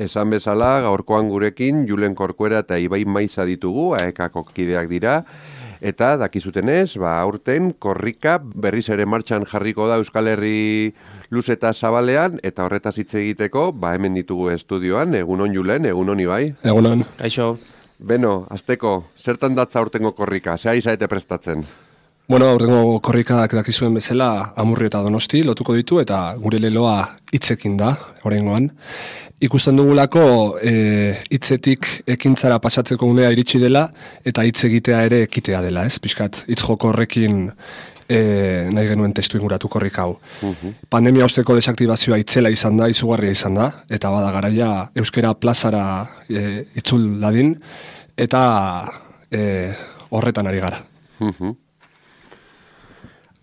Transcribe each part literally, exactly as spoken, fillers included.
Esan bezala, gaurkoan gurekin Julen Corcuera eta Ibai Maiza ditugu, A E K-ko kideak dira, eta dakizutenez, ba, aurten korrika berriz ere martxan jarriko da Euskal Herri luze eta zabalean, eta horretaz hitz egiteko, ba, hemen ditugu estudioan, egunon Julen, egunon Ibai. Egunon. Kaixo. Beno, azteko, zertan datza aurtengo korrika, zea izaete prestatzen? Bueno, aurtengo korrikak dakizuen bezala Amurri eta Donosti lotuko ditu, eta gure leloa hitzekin da, oraingoan. Ikusten dugulako e, hitzetik ekintzara pasatzeko unea iritsi dela eta hitz egitea ere ekitea dela, ez? Pixkat, hitz joko horrekin e, nahi genuen testu inguratu korrik hau. Uh-huh. Pandemia osteko desaktibazioa itzela izan da, izugarria izan da, eta bada garaia euskera plazara e, itzul dadin, eta e, horretan ari gara. Uh-huh.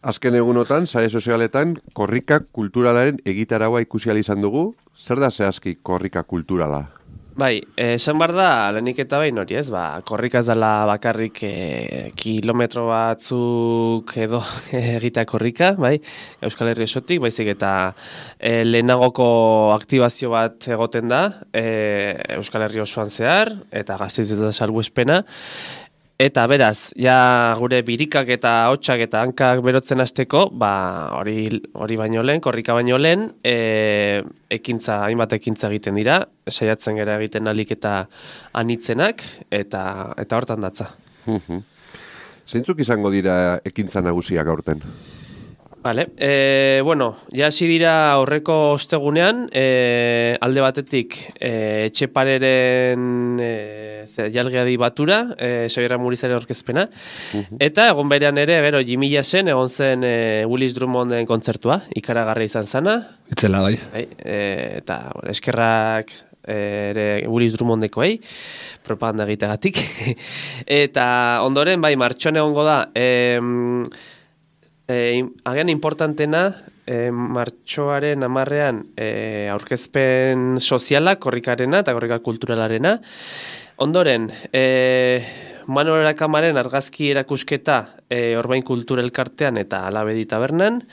Azken egunotan, sare sozialetan, korrika kulturalaren egitaraua ikusi ahal izan dugu. Zer da zehazki korrika kulturala? Bai, esan behar da, lehenik eta behin hori ez, ba, korrika ez dela bakarrik e, kilometro batzuk edo egitea korrika, bai, Euskal Herri osotik, baizik eta e, lehenagoko aktibazio bat egoten da, e, Euskal Herri osoan zehar, eta Gasteiz eta salbuespena. Eta beraz, ja gure birikak eta hotxak eta hankak berotzen hasteko, ba, hori hori baino lehen, korrika baino lehen, e, ekintza, hainbat ekintza egiten dira, saiatzen gara egiten alik eta anitzenak, eta eta hortan datza. Zeintzuk izango dira ekintza nagusiak aurten? Vale, e, bueno, ja hasi dira aurreko ostegunean, e, alde batetik e, Etxepareren e, jalgeadi batura, e, Xabier Murizaren aurkezpena, uh-huh. Eta egon berean ere, gero, Jimmy Jassen egon zen e, Willis Drummonden kontzertua, ikaragarri izan zana. Itzela, bai. E, eta bueno, eskerrak e, ere Willis Drummondekoei, propaganda egitegatik. Eta ondoren, bai, martxoan egongo da, e, E, agian importantena, e, martxoaren amarrean e, aurkezpen soziala, korrikarena eta korrika kulturalarena. Ondoren, e, Manuel Erakamaren argazki erakusketa e, Orbain Kultura Elkartean eta Alabedi Tabernan,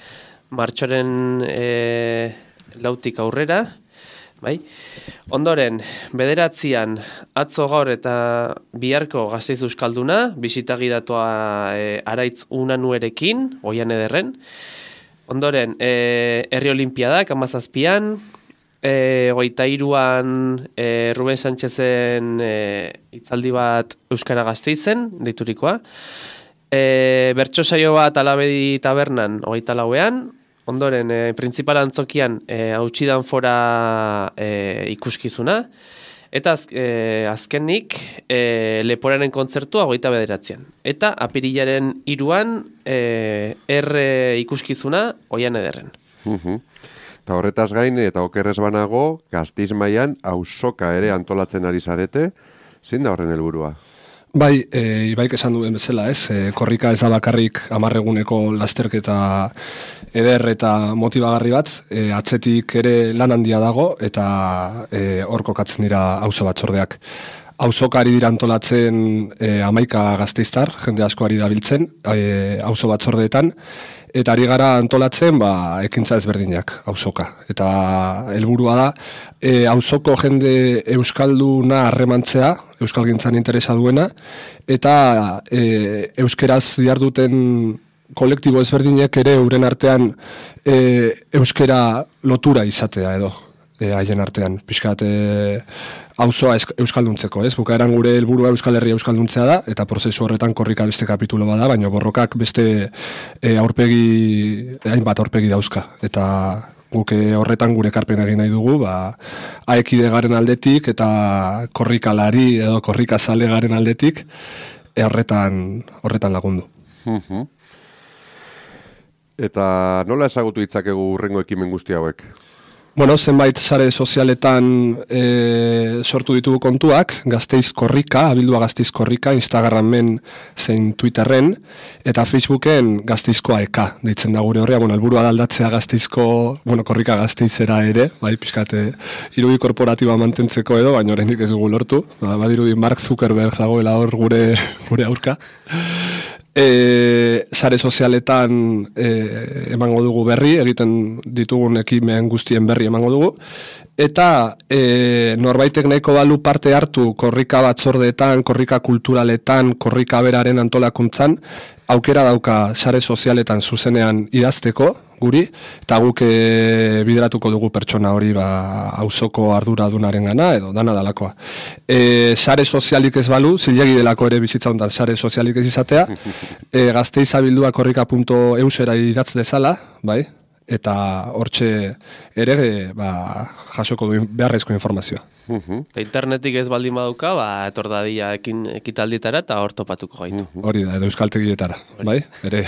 martxoaren e, lautik aurrera. Bai. Ondoren, bederatzian atzo gaur eta biharko Gasteiz Euskalduna, bisitagi datoa e, Araitz Unanuerekin, Oian Ederren. Ondoren, e, Herri Olimpiadak, amazazpian, e, goita iruan e, Ruben Sánchezen e, hitzaldi bat Euskara Gasteizen, deiturikoa. E, bertso saio bat Alabedi Tabernan, hogeita lauean. Ondoren, e, printzipal antzokian e, hautsidan fora e, ikuskizuna, eta az, e, azkenik e, Leporaren kontzertua hogeita bederatzean. Eta apirilaren hiruan e, erre ikuskizuna Oian Ederren. Uh-huh. Eta horretaz gain, eta okerrez banago, Gasteiz mailan auzoka ere antolatzen ari zarete, zein da horren helburua? Bai, e, Ibaik esan duen bezala, ez? E, korrika ez da bakarrik hamarreguneko lasterketa eder eta motibagarri bat, e, atzetik ere lan handia dago, eta e, hor kokatzen dira auzo batzordeak. Auzoka ari dira antolatzen e, hamaika gazteiztar, jende asko ari dabiltzen, e, auzo batzordeetan, eta ari gara antolatzen ba, ekintza ezberdinak auzoka. Eta helburua da, e, auzoko jende euskalduna harremantzea, euskalgintzan interesa duena, eta e, euskeraz diharduten kolektibo ezberdinek ere euren artean e, euskera lotura izatea edo, e, haien artean. Pixkat, e, auzoa euskalduntzeko, ez? Bukaeran gure helburua Euskal Herria euskalduntzea da, eta prozesu horretan korrika beste kapitulo bada, baina borrokak beste e, aurpegi, hainbat aurpegi dauzka. Eta guk horretan gure ekarpen egin nahi dugu, ba, aekide garen aldetik eta korrikalari edo korrikazale garen aldetik, e, horretan, horretan lagundu. Uh-huh. Eta nola ezagutu ditzakegu hurrengo ekimen guzti hauek? Bueno, zenbait sare sozialetan e, sortu ditugu kontuak, Gasteiz Korrika, abildua Gasteiz Korrika, Instagramen zein Twitterren, eta Facebooken Gasteizkoa eka, deitzen da gure horrea, bueno, helburua da aldatzea Gasteizko, bueno, Korrika Gasteizera ere, bai, pixkate, irudi korporatiba mantentzeko edo, baina oraindik ez dugu lortu, ba, badirudi Mark Zuckerberg dagoela hor gure, gure aurka. E, sare sozialetan e, emango dugu berri, egiten ditugun ekimen guztien berri emango dugu, eta e, norbaitek nahiko balu parte hartu korrika batzordeetan, korrika kulturaletan, korrika beraren antolakuntzan, aukera dauka sare sozialetan zuzenean idazteko, guri, eta guk e, bideratuko dugu pertsona hori ba, auzoko arduradunaren gana, edo dana dalakoa. E, sare sozialik ez balu, zilegi delako ere bizitza hontan sare sozialik ez izatea, e, gazteizabildua korrika puntu eusera idatz dezala, bai, eta hortxe ere ba, jasoko du beharrezko informazioa. Uh-huh. Internetik ez baldin baduka, ba, etor dadia ekin, ekitaldietara eta hor topatuko gaitu. Uh-huh. Hori da, edo euskaltegietara, bai? Ere,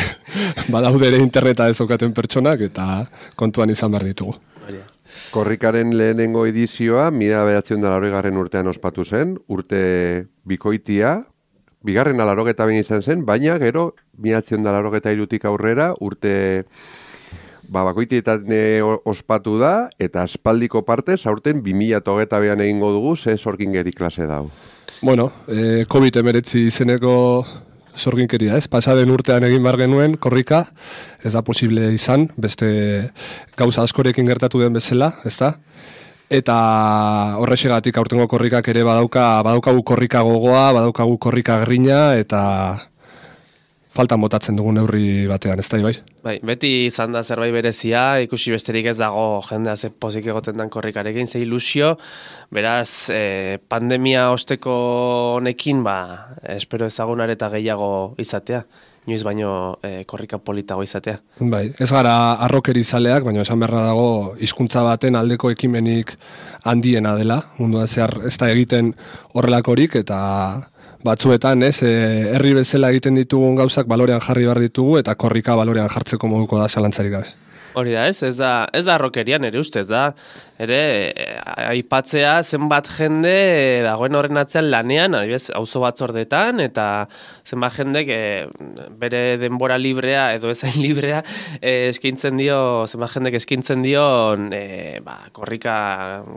badaude ere interneta ez okaten pertsonak eta kontuan izan behar ditugu. Korrikaren lehenengo edizioa, mila bederatziehun eta laurogeigarren urtean ospatu zen, urte bikoitia, bigarren laurogeta bain izan zen, baina gero mila bederatziehun eta laurogeita hirutik aurrera urte ba, bakoitietan e, ospatu da, eta aspaldiko partez, aurten bi mila hogeita bean egingo dugu, ze sorgingeri klase dau. Bueno, e, covid hemeretzi izeneko sorginkeria, ez? Pasaden urtean egin behar genuen, korrika, ez da posible izan, beste gauza askorekin gertatu den bezala, ez da? Eta horrexegatik aurtengo korrikak ere badauka, badaukagu korrika gogoa, badaukagu korrika grina, eta faltan botatzen dugun neurri batean, ez da, bai? Bai, beti izan da zerbait berezia, ikusi besterik ez dago jendea ze pozik egoten dan korrikarekin, ze ilusio, beraz, eh, pandemia osteko honekin, ba, espero ezagunar eta gehiago izatea, inoiz baino eh, korrika politago izatea. Bai, ez gara arrokeri zaleak, baina esan beharra dago hizkuntza baten aldeko ekimenik handiena dela, mundua zehar ez da egiten horrelakorik, eta batzuetan, ez, herri bezala egiten ditugun gauzak balorean jarri behar ditugu eta korrika balorean jartzeko moduko da zalantzarik gabe. Hori da, ez, ez da, ez da rokerian ere ustez da, ere aipatzea zenbat jende dagoen horren atzean lanean, adibidez, auzo batzordetan, eta zenbat jendek e, bere denbora librea edo ezain librea e, eskaintzen dio, zenbat jendek eskaintzen dio e, ba, korrika,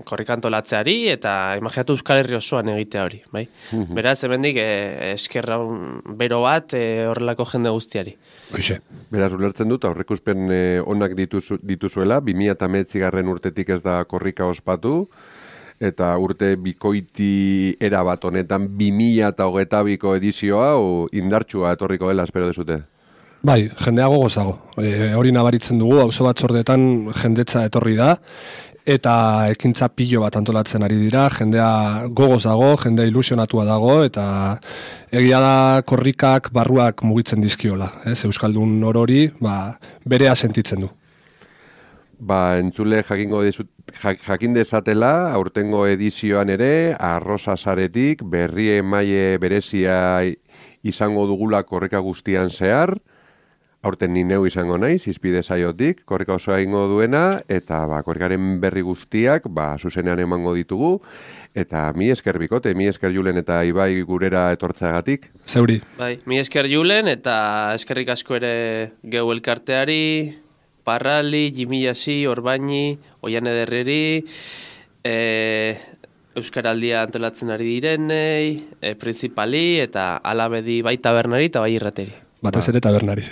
korrika antolatzeari, eta imaginatu Euskal Herri osoan egitea hori, bai? Mm-hmm. Beraz, hemendik e, eskerra bero bat e, horrelako jende guztiari. Hoxe. Beraz, ulertzen dut, aurreikuspen e, onak dituzu, dituzuela, bi mila hemeretzigarren urtetik ez da korrika ospatu, eta urte bikoiti erabat honetan bi mila hogeita biko edizioa o indartsua etorriko dela, espero dezute. Bai, jendea gogozago. E, hori nabaritzen dugu, auzo batzordetan jendetza etorri da, eta ekintza pilo bat antolatzen ari dira, jendea gogoz dago, jendea ilusionatua dago, eta egia da korrikak barruak mugitzen dizkiola. Ez? Euskaldun orori ba, berea sentitzen du. Ba, entzule jakingo dizut, jakin dezatela, aurtengo edizioan ere, arrosa saretik, berri emaile berezia izango dugula korrika guztian zehar, aurten ni neu izango naiz, izpide saiotik, korrika osoa ingo duena, eta ba, korrikaren berri guztiak, ba, zuzenean emango ditugu, eta mi esker bikote, mi esker Julen eta Ibai gurera etortzeagatik. Zeuri. Bai, mi esker Julen, eta eskerrik asko ere geu elkarteari, Parrali, Jimillasi, Orbaini, Oian Ederreri, e, Euskaraldia antolatzen ari direnei, e, Principali, eta alabedi bai tabernari eta bai irrateri. Batez ere tabernari.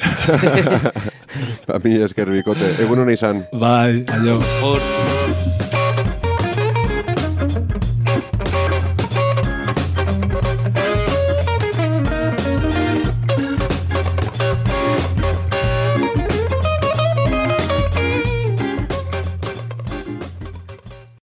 Ba, mi esker bikote, egun hona izan. Bai, aio. Hor.